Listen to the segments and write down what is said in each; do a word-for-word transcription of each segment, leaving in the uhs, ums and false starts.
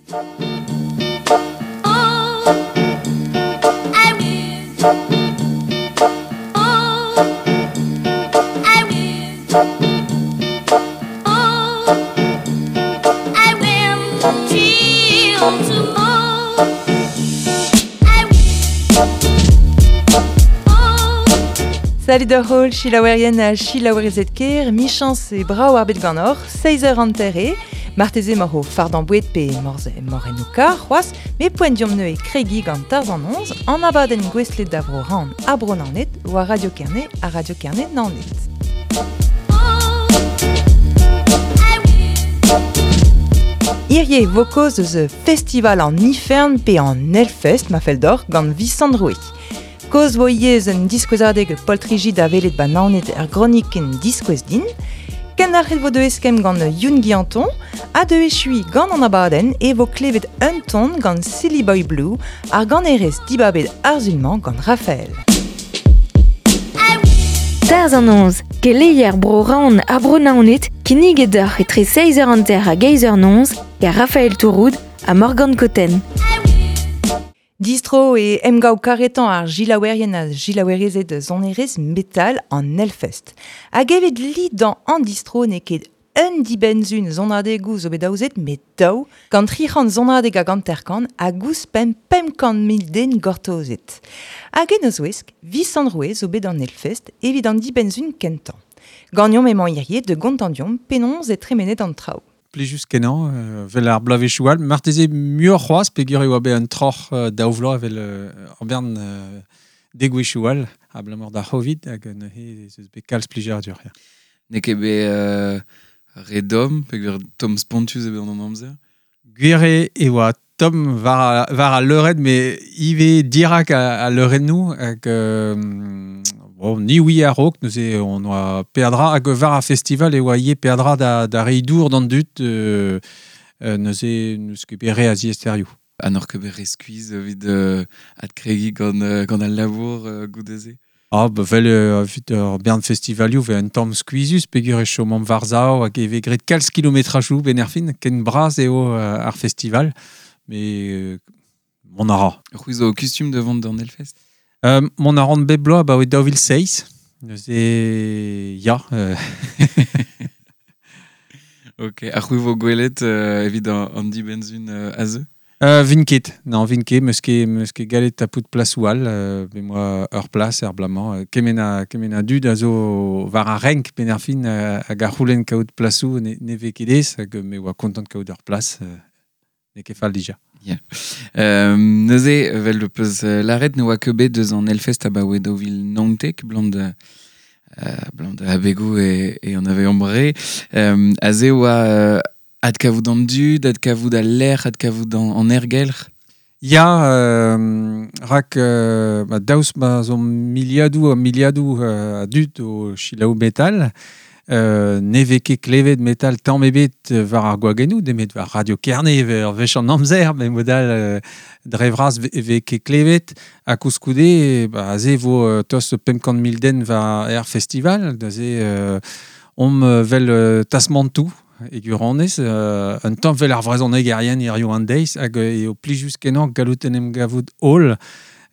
Salut d'ur hol, chilaouerien a chilaouerezet ker, michans e brao ar bet ganor, seiz eur anterre, marteze mor ho fardan bouet pe morze mor en o kar, c'hoaz, me poent diom neue kregi gant tarz an onz, an abadenn gwestlet da vro ran a bro nanet, war Radio Kerne a Radio Kerne nanet. Hirie vo koz eus festival an Ifern pe an Hellfest ma fell d'or gant Visant Roue. Koz vo ivez un diskouezadeg poltriji da welet ba naoned er groniken diskouez din. Kendalc'het vo de eskemm gant Youn Guillanton, ha de echui gant an abadenn e vo klevet un ton gant Silly Boy Blue ar ganerez dibabet arzulman gant Raphaël. Tarz an onz, keleier bro raon ha bro naoned, kinniget deoc'h etre seiz eur hanter hag eizh eur noz, gant Raphaël Touroud ha Morgan Cotten. Distro e emgav karetan ar gilaouerien a gilaouerezed sonerezh metal an Hellfest. Hag evet li dan an distro n'eo ket un dibenzun sonadegou zo bet daouzet, met daou, gant tri c'hant sonadeg hag hanter-kant hag ouzhpenn pemp kant mil den gortozet. Hag en eus ouesk, Visant Roue zo bet an Hellfest evit an dibenzun kentañ. Gagnon emañ hirie de gontandiom penaos e tremenet an traoù. Plijus kenañ, euh, vel ar bloavezhioù all. Marteze muioc'h c'hoazh peogwir e oa bet un troc'h euh, daou vloaz evel euh, ur bern euh, degouezhioù all abalamour d'ar Covid hag neuze ez eus bet kalz plijadur. Ya. N'eo ket bet euh, re domm peogwir tomm spontus eo bet an amzer. Gwir eo e oa tomm war a, war a leurenn, met ivez dirak a, a leurennoù hag euh, bon, ni oui a-raok, neuze on oa peadra hag war a festival e oa ivez peadra da, da reiñ dour d'an dud euh, euh, neuze n'eus ket bet re a ziaesterioù. Ha n'oc'h ket bet re skuizh evit euh, adkregiñ gant, euh, gant al labour euh, goude-se. Ah, ba vel euh, evit ur bern festivalioù ve un tamm skuizhus peogwir e chomomp war-sav hag e vez graet kalz kilometrajoù ben ar fin, ken bras eo euh, ar festival, mais euh, mont a ra. C'hwi zo kustum da vont d'an Hellfest? Euh, mont a ran bep bloaz abaoe daou vil seizh, neuze ya. Euh. Ok, ha c'hwi vo gwelet euh, evit an, an dibenzun euh, a zeu? Euh, vin ket, non, vin ket, meus ket, meus ket gallet tapout plasoù all, euh, bet moa ur plas er bloaz-mañ, euh, kement a, kement a dud a zo war ar renk ben ar fin euh, hag ar c'houlenn kaout plasoù ne, ne vez ket aes, hag me oa kontant kaout ur plas, euh, n'eo ket fall dija. Yeah. Euh, neuze, vel le peus euh, lâret ne oa ket bet deus an Hellfest abaoe daou vil naontek, blam da, euh, blam da abegoù e, e an ave ambre. Euh, aze oa euh, adkavout an dud, adkavout al lec'h, adkavout an, an aergelc'h. Ya, euh, rak euh, ba, daoust ma zo miliadoù ha miliadoù euh, a dud o selaou metal, euh, ne vez ket klevet metal tamm ebet war ar gwagennoù, nemet war Radio Kerne ur wech an amzer, met mod all euh, dre vras e vez ket klevet, ha koulskoude, ba, aze vo euh, tost pemp kant mil den war er festival, neuze euh, omp vel euh, tasmantoù e gwirionez, euh, un tamm vel ar vrezhonegerien hiziv an deiz, hag eo plijus kenañ gallout en em gavout holl,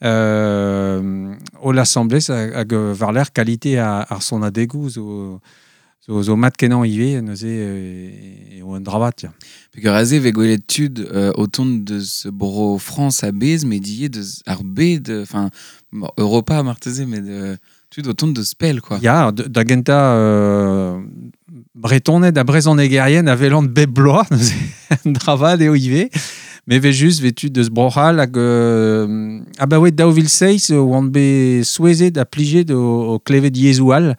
euh, holl asambles hag, hag war-lerc'h kalite ar, ar sonadegoù zo, zo, zo mat kenañ ivez, neuze euh, eo un dra vat, ya. Peogwir aze vez gwelet tud euh, o tont deus bro Frañs a-bezh, met ivez deus ar bed, enfin, bon, Europa marteze, met euh, tud o tont deus pell, quoi. Ya, da gentañ euh, Bretoned ha brezhonegerien a welan bep bloaz, neuze un dra vat eo ivez. Met vez just vez tud deus Bro-C'hall hag euh, abaoe daou vil seizh oan bet souezhet ha plijet o, o klevet yezhoù all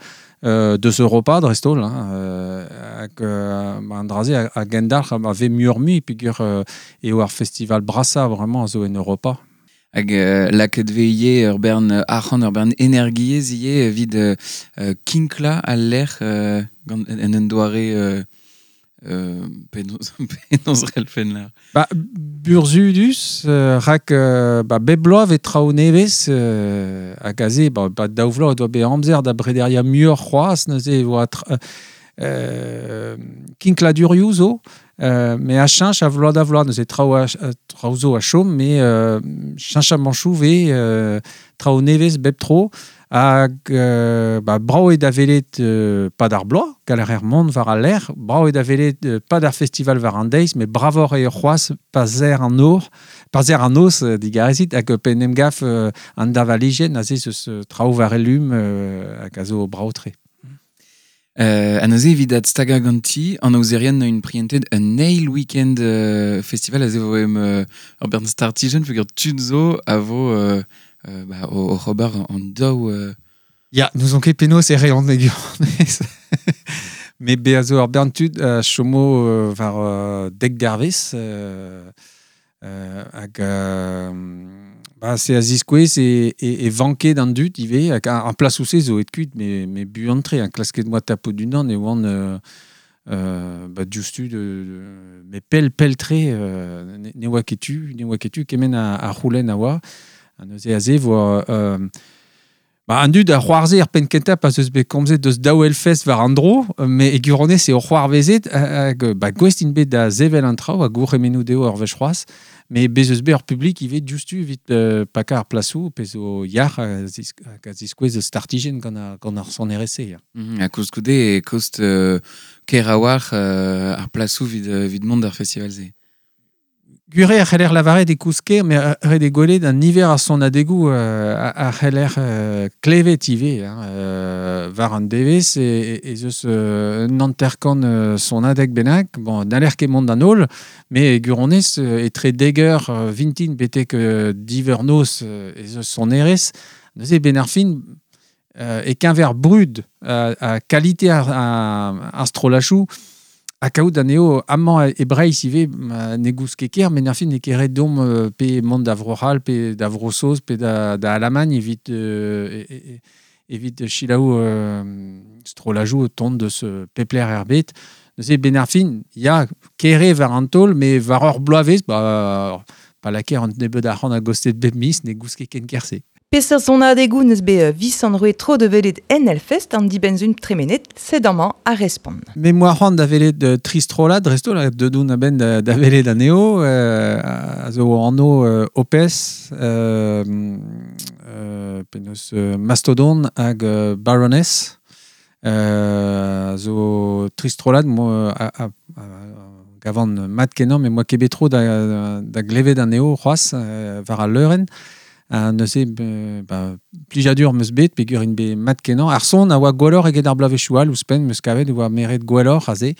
euh, deus Europa dreist-holl, hein, euh, hag euh, ba, an dra-se a, a gendalc'h a vez muioc'h-mui peogwir euh, eo ar festival brasañ vraiment a zo en Europa. Hag euh, lakaet vez ivez ur bern arc'hant, ur bern energiezh ivez evit euh, kinklañ al lec'h euh, gant en un doare euh, euh, penaos penaos c'hellfen lâr. Ba, burzhudus, euh, rak euh, ba, bep bloaz vez traoù nevez euh, hag aze, ba, ba, daou vloaz doa bet amzer da brederiañ muioc'h c'hoazh, neuze e oa tra, euh, kinkladurioù zo, Euh, mais a cheñch a vloaz da vloaz, neuze traoù a, traoù zo a chom, mais euh, cheñch a manchou ve euh, traoù nevez bep tro, hag euh, ba, brao eo da welet euh, pad ar bloaz, galler er mont war al lec'h, brao eo da welet euh, pad ar festival war an deiz, mais bravoc'h eo c'hoazh pa zer an nor, pa zer an noz euh, digarezit, hag pe en em gaf euh, an davalijenn aze eus euh, traoù war elum euh, hag a zo brao-tre. Euh, a neuze evit adstagañ ganti, an aozerien un priented un eil weekend euh, festival aze vo em euh, ur bern startijenn peogwir tud zo a vo euh, euh, ba, o, o ober an daou... Euh... Ya, n'ouzon ket penaos e reont e gwirionez. Mais bezañ zo ur bern tud a chomo euh, war euh, dek dervez euh, euh, hag euh, ba, se a ziskouez e, e, e vanket an dud ivez, hag an, an plas ouzh zo et kuit, mais, mais buan-tre, an klasket moa tapout d'unan e oan euh, euh, ba, diouzhtu de, de, mais pell pell-tre euh, ne, ne oa ket tu, ne oa ket tu, kement a, a c'houlenn a oa. Ha neuze aze vo euh, ba, an dud a c'hoarzhe ar penn kentañ pa zeus bet komzet deus daou Hellfest war an dro, mais e gwirionez eo c'hoarvezet hag ba, gouest int bet da sevel an traoù ha gourc'hemennoù dezho ur wech c'hoazh. Mais bez eus bet ur publik ivez diouzhtu evit euh, pakañ ar plasoù, pe zo yac'h hag a ziskouez startijenn gant ar, gant ar sonerezh-se. Ya. Mm, ha koulskoude e kost euh, ker a-walc'h euh, ar plasoù evit, evit mont d'ar festival-se. Gure a c'heller lavaret e koust ker, mais ret eo gwelet an niver a sonadegoù euh, a, a c'heller euh, klevet ivez, hein, euh, war an devezh e, e, ez eus euh, un hanter-kant euh, sonadeg bennak. Bon, n'haller ket mont d'an holl, mais gwirionez euh, etre dek eur euh, vintin betek euh, div eur noz euh, ez eus sonerezh. Neuze ben ar fin euh, e keñver brud a, a kalite ar, ar, ar strollajoù, ha kaout anezho amañ e Breizh ivez ne goust ket ker, met ar fin n'eo ket ret deomp euh, pe mont da Vro-C'hall, pe da Vro-Saoz, pe da, da Alamagn evit, euh, e, e, evit selaou euh, strollajoù o tont deus pep lec'h er bed. Neuze ben ar fin, ya, ker eo war an taol, mais war ur bloavezh, ba, pa lakaer an nebeud arc'hant a gostez bep miz, ne goust ket ken ker-se. Peseurt sonadegoù neus bet Visant Roue tro da welet en Hellfest an dibenn-sizhun tremenet, sed amañ ar respont. Me moa c'hoant da welet euh, tri strollad, dreist-holl, deuet on a-benn da, da welet anezho, euh, a zo anv euh, Opeth, euh, euh, penaos euh, Mastodon hag euh, Baroness, euh, a zo tri strollad, mo, a, a, a, gavan mat kenañ, met moa ket bet tro da, da glevet anezho c'hoazh, euh, war al leurenn. Ha neuze, ba, plijadur 'm eus bet, peogwir int bet mat kenañ. Ar son a oa gwelloc'h eget ar bloavezhioù all, ouzhpenn, 'm eus kavet e oa meret gwelloc'h aze.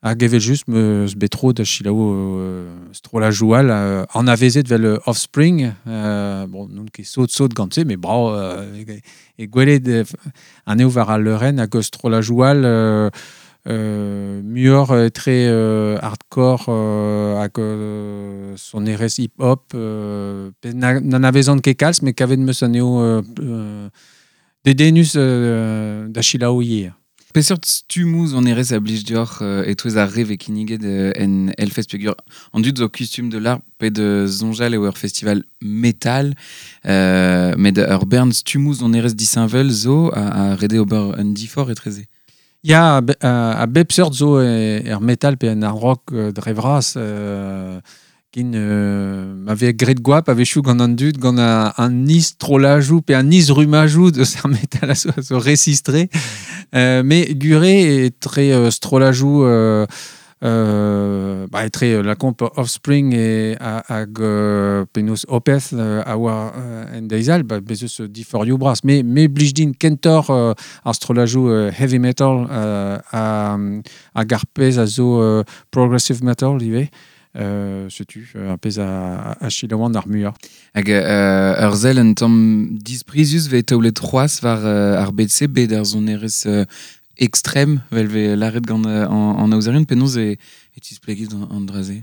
Hag evel-just 'm eus bet tro da selaou euh, strollajoù all, euh, anavezet vel Offspring, euh, bon, n'on ket sot-sot gant-se, mais brao euh, e gwelet euh, anezho war al leurenn hag strollajoù all euh, euh, muioc'h etre euh, hardcore euh, hag euh, sonerezh hip-hop, euh, pe na, n'anavezan ket kalz, met kavet 'm eus anezho euh, euh, dedennus euh, da selaou ivez. Peseurt stummoù sonerezh a blij deoc'h euh, e-touez ar re vez kinniget euh, en Hellfest peogwir an dud zo kustum de l'ar pe de soñjal eo ur festival metal, euh, met ur bern stummoù sonerezh disheñvel zo a, a ret eo ober un diforc'h etreze. Ya, a, a, a bep seurt zo e, er metal pe en ar rock euh, dre vras, euh, kin euh, ma vez graet goap a-wechoù gant an dud, gant a, an is trollajoù pe an is rummajoù deus ar metal a zo, a zo resistre. Euh, mais gure etre euh, strollajoù euh, euh, ba, etre euh, la comp Offspring e hag euh, penaos Opeth euh, a oa euh, en deiz all, ba, bez eus diforioù bras. Mais, me blij din kentoc'h euh, ar strollajoù euh, heavy metal euh, a, hag ar pezh a zo euh, progressive metal ivez. Euh, setu ar pezh a, a selaouan ar muiañ. Hag euh, ur sell un tamm disprizus vez taolet c'hoazh war euh, ar bed-se, bet ar sonerezh euh, extrême, vel vez lâret gant euh, an, an aozerien, penaos e, e tisplegit an, an dra-se?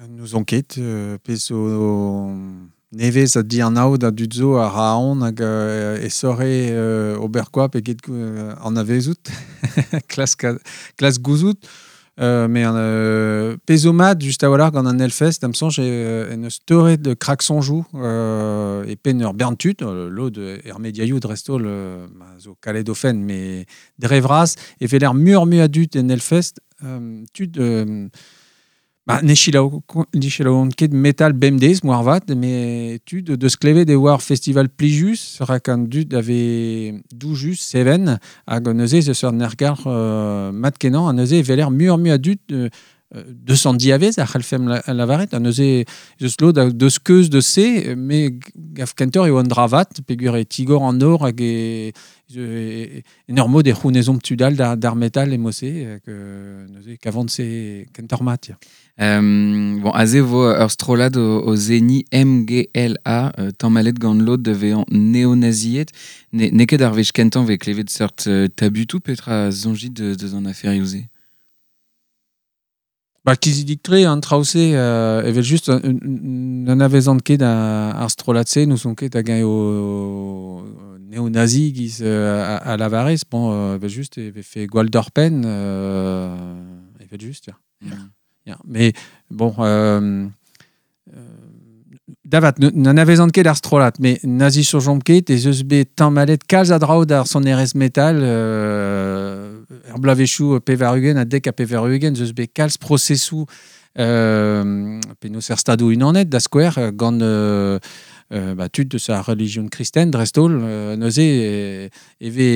N'ouzon ket, euh, pezh zo nevez a dianav da dud zo a ra aon hag euh, e sore euh, ober goap eget euh, anavezout, klask, klask gouzout. Euh, mais euh, pezomad just a-walc'h gant an Hellfest, am soñj euh, en eus torret de krak soñjoù euh, e penn ur bern tud, euh, lod er mediaioù dreist-holl euh, ma zo kalet o fenn, mais dre vras, e veler muioc'h mui a dud en Hellfest, euh, tud euh, ba, ne selaou ne selaouont ket metal bemdez, moarvat, mais tud deus klevet e oa ar festival plijus, rak an dud ave doujus, seven, hag neuze eus ur nergar euh, mat kenañ, ha neuze e veler muioc'h mui a dud euh, deus an diavez a c'hallfemp la, lavaret, ha neuze eus lod a deus keuz de se, mais gaf kentoc'h eo an dravat, peogwir e tigor an nor hag e, e, en ur mod e c'hounezomp tud all d'ar, d'ar metal e mose, hag euh, neuze kavont se kentoc'h mat, ya. Euh, bon, aze vo ur strollad o, o zeni M G L A, euh, tammalet gant lod da vezañ neonaziet. Ne, n'eo ket ar wech kentañ vez klevet seurt euh, tabutoù petra soñjit de, deus an aferioù-se? Ba, kizidik-tre an traoù-se, euh, evel just, un, un, un anavezan ket a, ar strollad-se, nous on ket hag eo neonazi giz euh, a, a lavarez, bon, euh, evel just, e vefe gwall d'ur penn, euh, evel just, ya. Mm. Ya, mais bon, euh, euh, davat, n'anavezan ket ar strollad, mais nazi soñjomp ket, ez eus bet tammalet kalz a draoù d'ar sonerezh metal, euh, er bloavezhioù pevar-ugent ha dek ha pevar-ugent, ez eus bet kalz prosesoù, euh, penaos er stadoù unanet, da skouer, gant, euh, euh, ba, tud deus ar relijion kristen, dreist-holl, euh, neuze, e, e ve,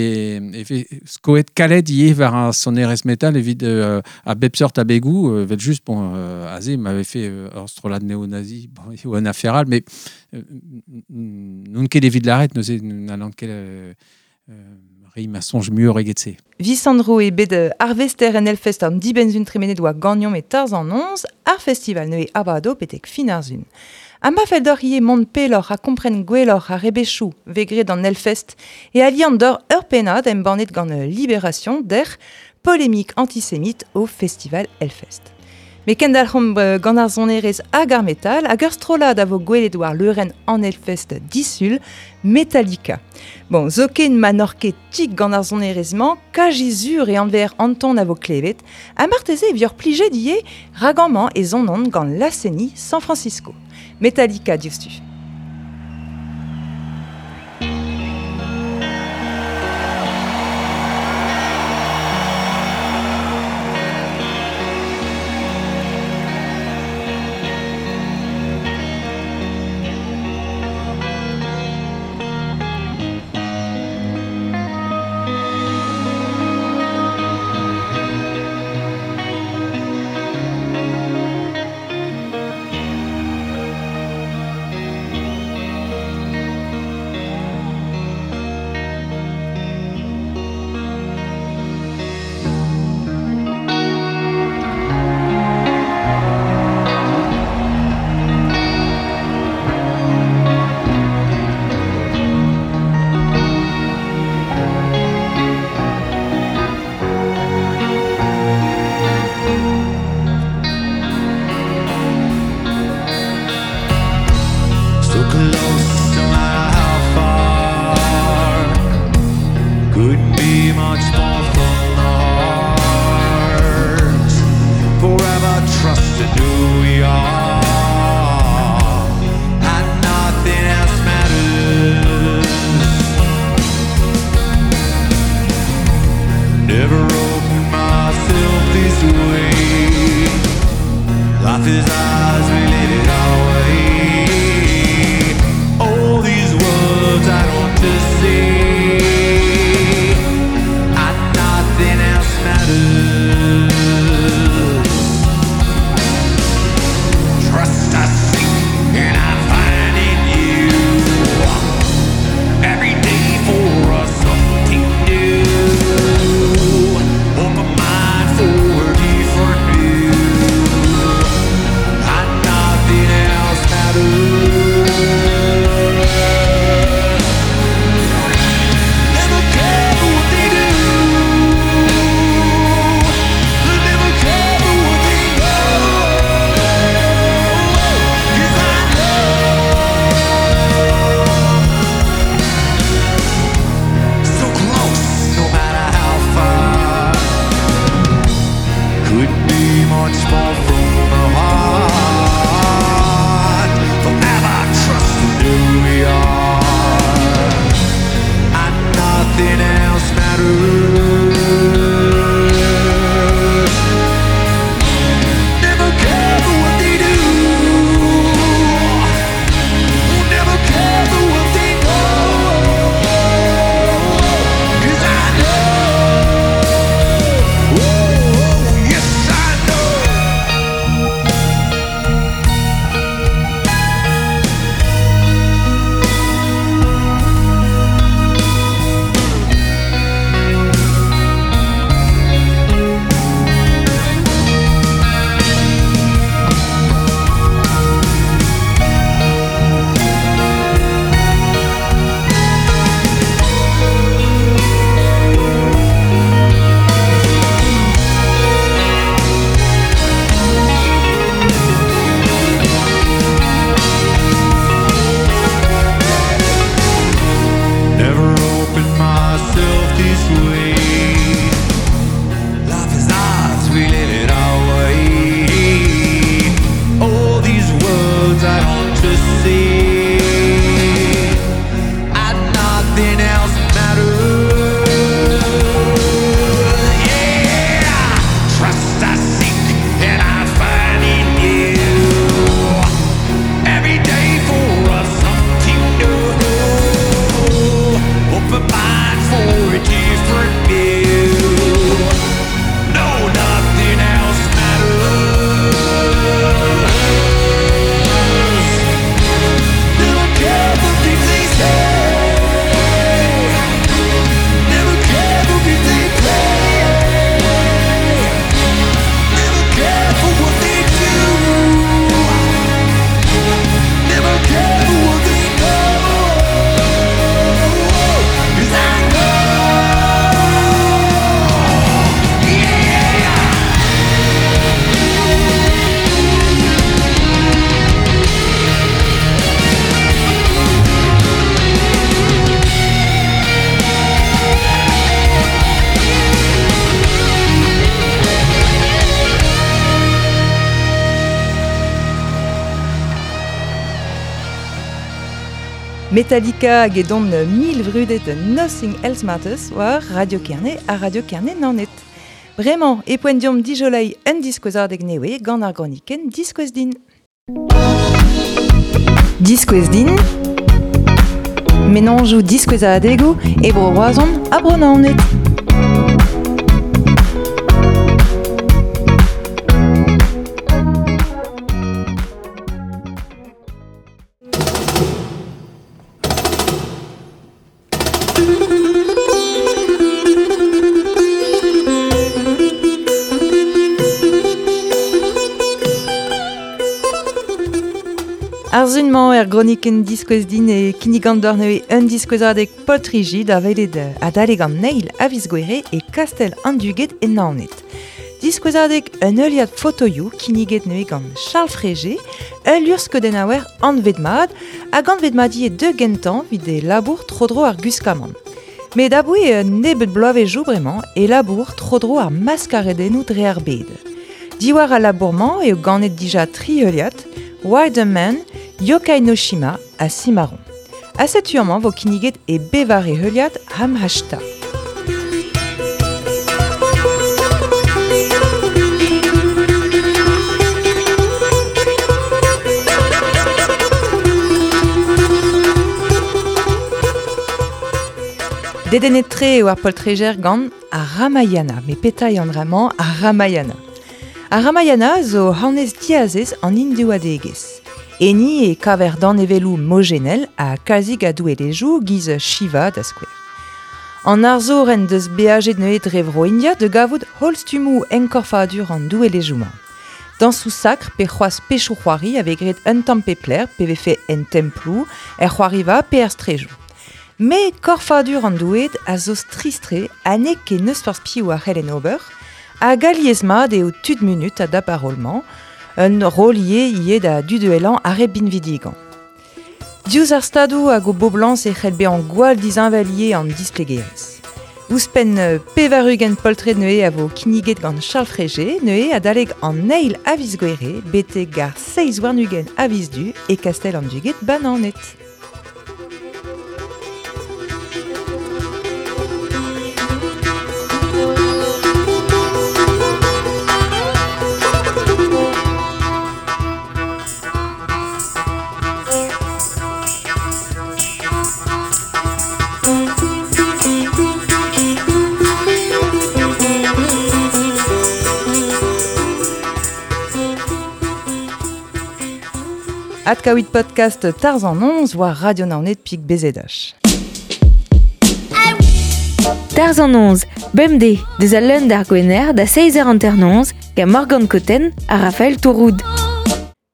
e ve skoet kalet ivez war ar sonerezh metal evit, euh, a bep seurt abegoù, euh, evel just, bon, euh, aze, m'avait fait, euh, ur strollad néo-nazi, bon, eo un affaire all, mais, euh, n'on ket evit lâret, neuze, n'allan ket, euh, euh, reiñ ma soñj muioc'h eget se. Visandro e bet arvester en Hellfest an dibenzun tremenet oa gagnon e tarz an onz, ar festival neue abado betek fin ar zun. Ha ma fell deoc'h ivez mont pelloc'h ha kompren gwelloc'h ar rebechoù vegret an Hellfest e aliant d'ur ur pennad embannet gant Libération der polémique antisémite au festival Hellfest. Me kendalc'homp gant ar sonerezh hag ar metal hag ur strollad a vo gwelet war leurenn an Hellfest disul, Metallica. Bon, zoken ma n'oc'h ket tik gant ar sonerezh-mañ, kajizur e anver Anton a vo klevet, ha marteze e vioc'h plijet ivez rag amañ e zonont gant Laceni San Francisco. Metallica diouzhtu. Thank to see, and nothing else matters. Yeah, trust I seek and I find in you. Every day for us something new. Open mind for a different view. No, nothing else matters. Never care for things they say. Never care for games they play. Never care for what they do. Never care for what they know. 'Cause I know. Yeah. Metallica hag edon mil vrudet Nothing Else Matters war Radio Kerne ha Radio Kerne Naoned. Bremañ, e poent diomp dijolei un diskouezadeg newe gant ar gronikenn Diskouez din. Diskouez din, Menanjoù diskouezadegoù e bro Roazhon ha bro Naoned. Ar zun-mañ er gronikenn diskouez din e kinnigan d'ur neue un diskouezadeg poltriji da welet adalek an neil a viz Gouere e Kastel an Duged e Naoned. Diskouezadeg un heuliad fotoioù kinniget neue gant Charles Fréger, ul luc'hskeudennaouer anvet mat hag anvet mat ivez deux gentañ evit e labour tro-dro ar gwiskamant. Met aboe un nebeud bloavezhioù bremañ e labour tro-dro ar maskaredennoù dre ar bed. Diwar al labour-mañ eo ganet dija tri heuliad, Wild Man, Yokai no Shima ha Cimarron. Ha setu amañ vo kinniget e bevare heuliad Hamhashta. Dedennet-tre eo ar poltrejer gant ar Ramayana, met petra eo an dra-mañ ar Ramayana. Ar Ramayana zo hanez diazez an hindouadegezh. Enni e kaver danevelloù mojenel ha kalzik a doueelezhioù giz Shiva da skouer. An arzour en deus beajet neuze dre vro India da gavout holl stummoù enkorfadur an doueelezhioù-mañ. Dañsoù sakr pe c'hoazh pechoù c'hoari a vez graet un tamm pe plec'h pe vefe en temploù, er c'hoariva pe er strejoù. Met korfadur an doueed a zo strizh-tre ha n'eo ket n'eus forzh piv a c'hell en ober, hag alies-mat eo tud munut a dap ar roll-mañ, un rol ivez ivez da duduelañ ar re binvidigañ. Diouzh ar stadoù hag o boblañs e c'hell bezañ gwall disheñvel ivez an displegerezh. Ouzhpenn pevar-ugent poltred neuze a vo kinniget gant Charles Fréger neuze adalek an eil a viz Gouere betek ar seizh warn-ugent a viz Du e Kastel an Duged ba Naoned. Adkaouit podcast Tarzan onze war Radio Naoned pik B Z H. Tarzan onze, bemdez, deus al leun d'ar Gwener da seizh eur hanter noz, gant Morgane Cotten ha Raphaël Touroud.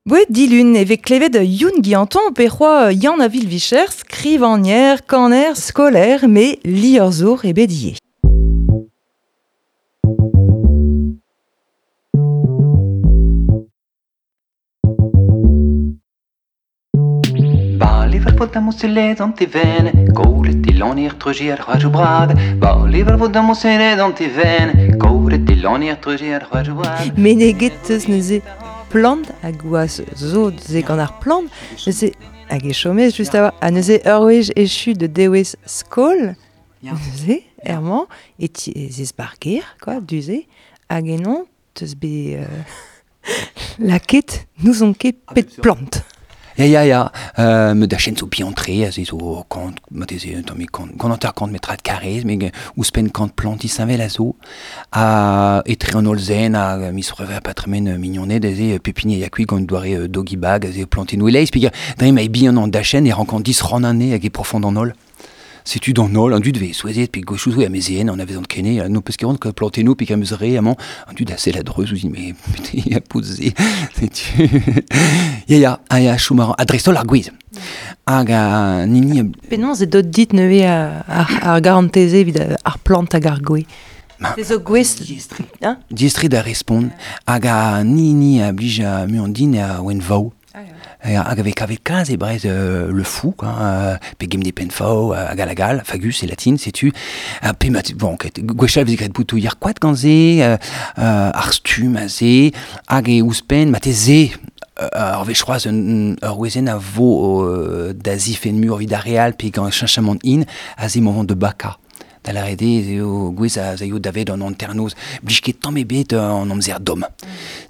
Bouet dilun e vez klevet Youn Guillanton pe c'hoa Yann a Vilvicher, skrivagner, kaner, skolaer, met liorzhour e bet ivez. Meneget eus neuze. plant hag oa zo ze gant ar plant, neuze hag e chomez just a ha neuze ur wech echu de dewez skol, neuze, ermañ, e ti ez barger, quoi, duze, hag enon, teus be euh, laket, nous on ket pet plant. Ya, ya, ya, euh, me da chen zo biantre, a ze zo kant, ma teze, un tamm kant, gant anter kant metrad karrez, me ouzhpenn kant plant issañvel a zo, a etre an olzen, a mis rever patremen mignoned, a ze pepini a kuit gant doare doggy bag, a ze plantenou eleiz, pe dre ma e bihan an dachen e rankant dis ran ane hag e profond an ol. Setu d'an ol, an dud ve souezet, pe gochoù zo amezien, an avezant kene, no peus ket ran plantenou, pe kam eus re, amañ, an dud a sell a-dreuz ouzhin, mais putain, a poze, setu... Ya, ya, a ya, chom a dreist-holl ar gwez. Hag a nini... Penaos e dot dit neuze ar, ar garanteze evit ar plant hag ar gwez. Ma, zo gwez... Hein? Diestri da respont, hag a nini a blij a muandin a oen vao. Ah, hag avec avec kalz e brez euh, le fou, quoi, euh, pe gemne penfao, hag alagal, fagus e latin, setu, euh, pe mat, bon, ket, gwechal vez graet boutou yar koad gant ze, euh, euh, ar stum a ze, hag e ouzhpenn, ma te ze, ar vech c'hoazh un ur wezenn a vo euh, da zifen mur vid ar real, pe gant cheñchamant in, a ze moment de baka. Da lâret eo gwez a zaio davet an anternoz, blij ket tamm ebet an amzer domm.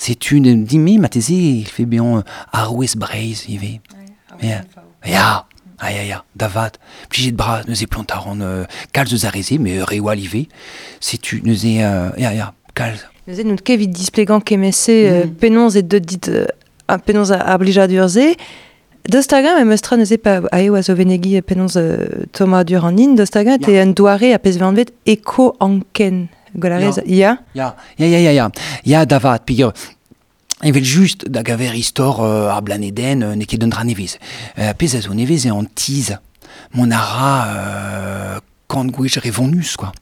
Setu dime, ma teze, il fait bien ar wez Breizh ivez. Ya, ya, ah ya, ya, da vat. Plijet bras, neuze plant a ran euh, kalz eus ar reze, mais re oa ivez. Setu neuze, euh, ya, ya, kalz. Neuze, n'out ket evit displegañ kemese euh, mm. penaos e deut dit euh, penaos ar blijadur se. Deus tagañ em eus tra neuze pa a eo a zo venegi penaos euh, Thomas Duranin, deus tagañ te un doare a pezh vanvet eko-anken. Golarez, ya? Ya, ya, ya, ya, ya. Ya, da vat, peogwir evel just da gaver istor euh, ar blaneden euh, n'eo ket un dra nevez. Euh, pezh a zo nevez eo an tiz. Mont a ra euh, kant gwech re vonus, quoi.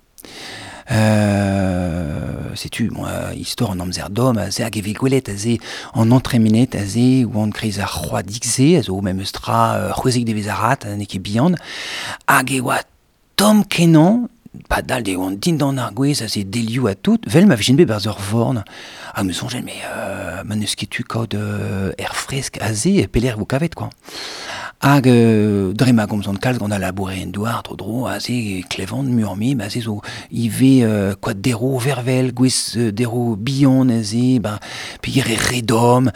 Euh, setu, bon, euh, istor an amzer domm, a ze hag e vez gwelet, a ze an antremenet, a ze oan kreiz ar c'hoadig se, a zo memes tra euh, c'hwezek devez ar rat, n'eo ket bihan, hag e oa tomm kenañ, padal de oan dindan ar gwez, a ze delioù a tout, vel ma vijin bet barzh ur vorn. Hag me soñjel, mais euh, ma n'eus ket tu kaout euh, aer fresk a ze, pelec'h vo kavet, quoi. Hag euh, dre ma gomzan kalz gant a laboure en douar, tro-dro, a ze klevan murmi, ma ze zo ivez euh, koad dero vervel, gwez euh, dero bihan a ze, ben, peogwir e redom,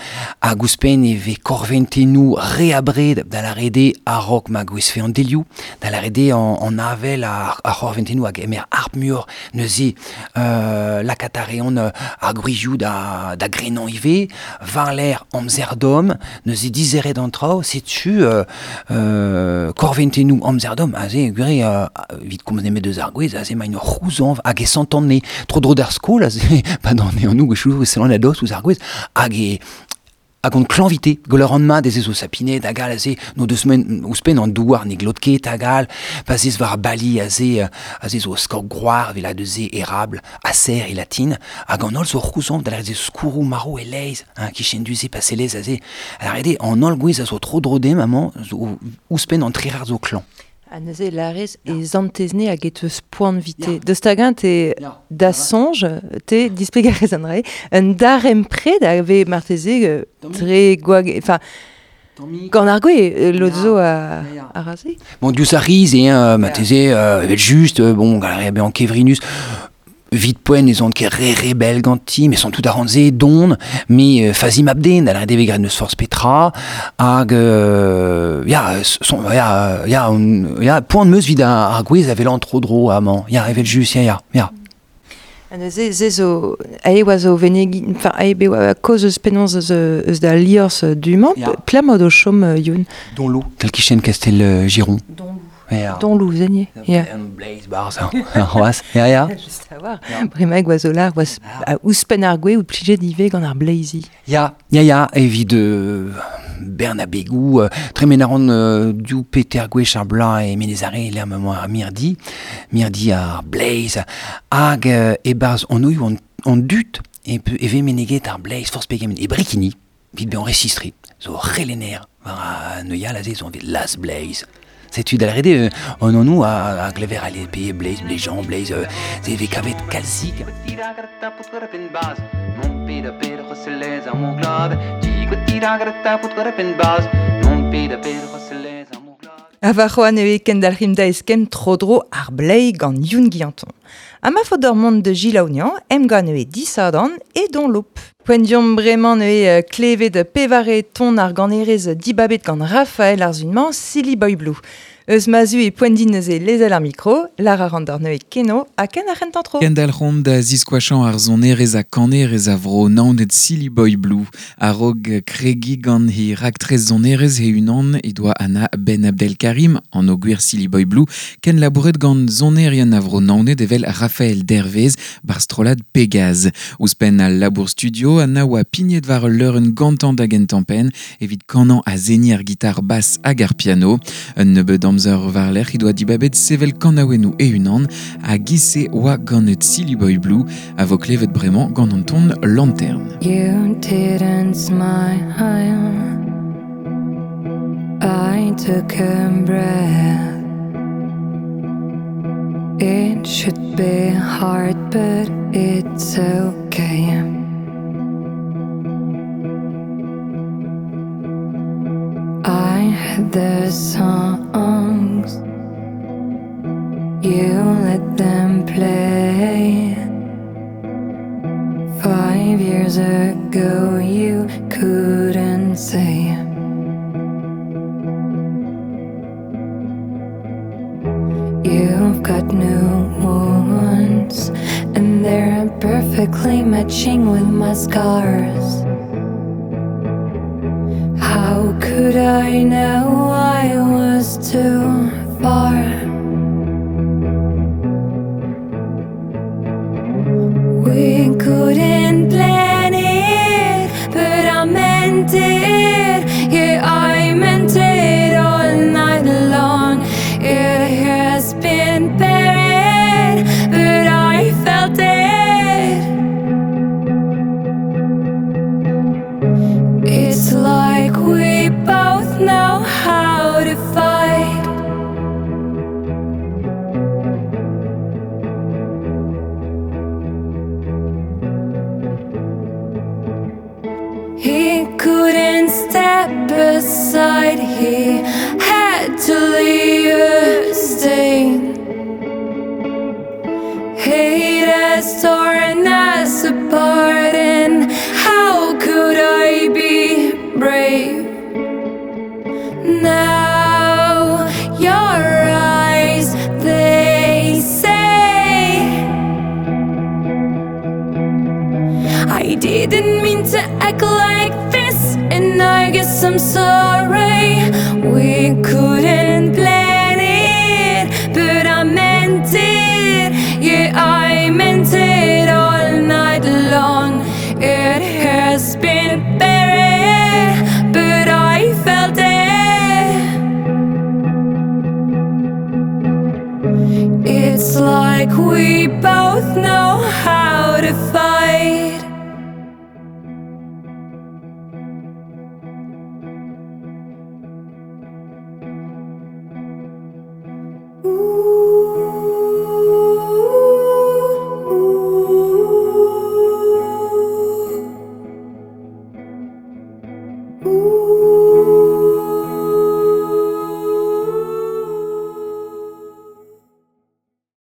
hag ouzhpenn e vez korventennoù re abred da lâret eo a-raok ma gwezfe an delioù, da lâret eo an, an avel ar, ar c'horventennoù hag emer arp muioc'h neuze euh, lakaat a reont ar gwrizioù da, da grenañ ivez, war-lerc'h amzer domm, neuze dizeret an traoù, setu euh, euh, korventennoù amzer domm, aze gwir euh, evit komz nemet deus ar gwez, aze maint ur c'houzañv hag e santan ne tro-dro d'ar skol, aze pa d'an e an gwechoù e sellan a dost ouzh ar gwez, hag e hag an klañvite, gwell an mat ez ez o sapinet hag all aze, no deus men ouzhpenn an douar ne glot ket hag all, pa zez war bali aze, aze zo skor groar vel a deuse érable, acer e latin, hag an holl zo c'houzañv da lâret eo skourroù maro e leiz, hein, kichen duze pa selez aze, a lâret eo an holl gwez a zo tro dro dem amañ, zo ouzhpenn an trerar zo klañv. Ha neuze larez e zantezne hag e teus poan vite. Deus tagañ te da soñj, te displegarez an rae, un darempred a vez marteze tre gwag... Enfin, gant ar gwez, lod zo a, a raze. Bon, diouzh ar riz, hein, marteze, euh, evel just, bon, gant ar re bezañ kevrinus, vit poent ez on ket re rebel ganti, mais sont tout a ranze don, mais euh, fazi mabden, da lâret eo graet neus forzh petra, hag euh, ya, son, ya, ya, on, ya, poan meus vid ar, ar gwez a vel an tro-dro amañ, ya, evel just, ya, ya, ya. Ha neuze, ze zo, ae oa zo venegi, enfin, ae be oa koz eus penaos eus, eus da liorzh du-mañ, Ya. pla mod o chom euh, Youn. Don Lou, tel kichen Castel euh, Giron. Don Lou. Ya. Don Lou, zenier. Ya. An bleiz barzh, ar c'hoazh, ya, ya. Just a war. Bremañ oa zo lar, oa ouzhpenn ar gwez out plijet ivez gant ar bleizi. Ya, ya, ya, evit euh, bern a begou, euh, tremen a ran euh, div peter gwech ar bloaz e Menez-Are, lec'h ma emañ ar mirdi, mirdi ar bleiz, hag euh, e-barzh an oioù an, an dud, e, e vez meneget ar bleiz forzh pegement, e Brekini, evit bezañ resistri, zo c'helenner, war a neuial aze zo anvet las bleiz. Setu da lâret eo, an anv a, a glever ale pe bleiz, bleiz Jean, bleiz, euh, ze vez kavet kalzik. peda peda c'hoselez ar mor glad Digwet agar ta fout gant pen baz Mont peda peda c'hoselez ar mor glad A va c'hoan eo kendalc'him da eskem tro-dro ar blei gant Youn Guillanton. A ma fodor mont de Gilaonian, em gant eo disadan e don lop. Poent diom bremañ eo klevet pevare ton ar ganerez dibabet gant Raphaël Arzunman, Silly Boy Blue. Eus mazu e poent din neuze lezel ar mikro, lar ar an neuze keno, ha ken ar c'hentan tro. Kendalc'homp da ziskoachan ar zonerez a kanerez a vro naonet Silly Boy Blue. A-raog kregi gant he raktrez zonerez he unan e doa Anna Ben Abdelkarim an o gwir Silly Boy Blue, ken labouret gant zonerien a vro naonet evel Raphaël Dervez bar strolad Pegaz. Ouzhpenn al labour studio, Anna oa pignet war ul leurenn gantañ da gentañ penn evit kanañ a zeni ar gitar basse hag ar piano. Un nebeud amzer war lerc'h he doa dibabet sevel kanaouennoù e-unan ha gise oa ganet Silly Boy Blue a vo klevet bremañ gant an ton Lanterne. You didn't smile. I took a breath. It should be hard, but it's okay. I had the songs, you let them play. Five years ago you couldn't say. You've got new wounds, and they're perfectly matching with my scars. How could I know I was too far? We couldn't plan it, but I meant it. Yeah, I meant it all night long. It has been buried, but I felt it. It's like we both know how to fight. He couldn't step aside, he had to leave a stain. Hate has torn us apart, and how could I be brave? Now your eyes, they say I didn't mean to act like this, and I guess I'm sorry. We couldn't plan it, but I meant it. Yeah, I meant it all night long. It has been buried, but I felt it. It's like we both know how to fight.